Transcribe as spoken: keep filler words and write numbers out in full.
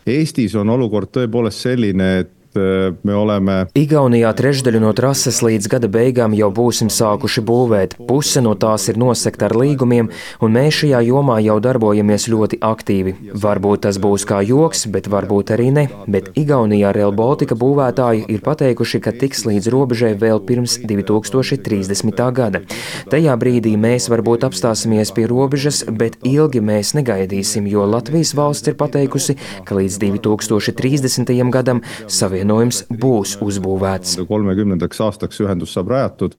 Eestis on olukord tõepoolest selline, et me oleme Igaunijā trešdaļu no trases līdz gada beigām jau būsim sākuši būvēt. Puse no tās ir nosekta ar līgumiem, un mēs šajā jomā jau darbojamies ļoti aktīvi. Varbūt tas būs kā joks, bet varbūt arī ne. Bet Igaunijā Rail Baltica būvētāji ir pateikuši, ka tiks līdz robežai vēl pirms divi tūkstoši trīsdesmitā gada. Tajā brīdī mēs varbūt apstāsimies pie robežas, bet ilgi mēs negaidīsim, jo Latvijas valsts ir pateikusi, ka līdz divi tūkstoši trīsdesmitajam gadam savienojums būs uzbūvēts. kolmekümnendaks aastaks ühendus saab rajatud.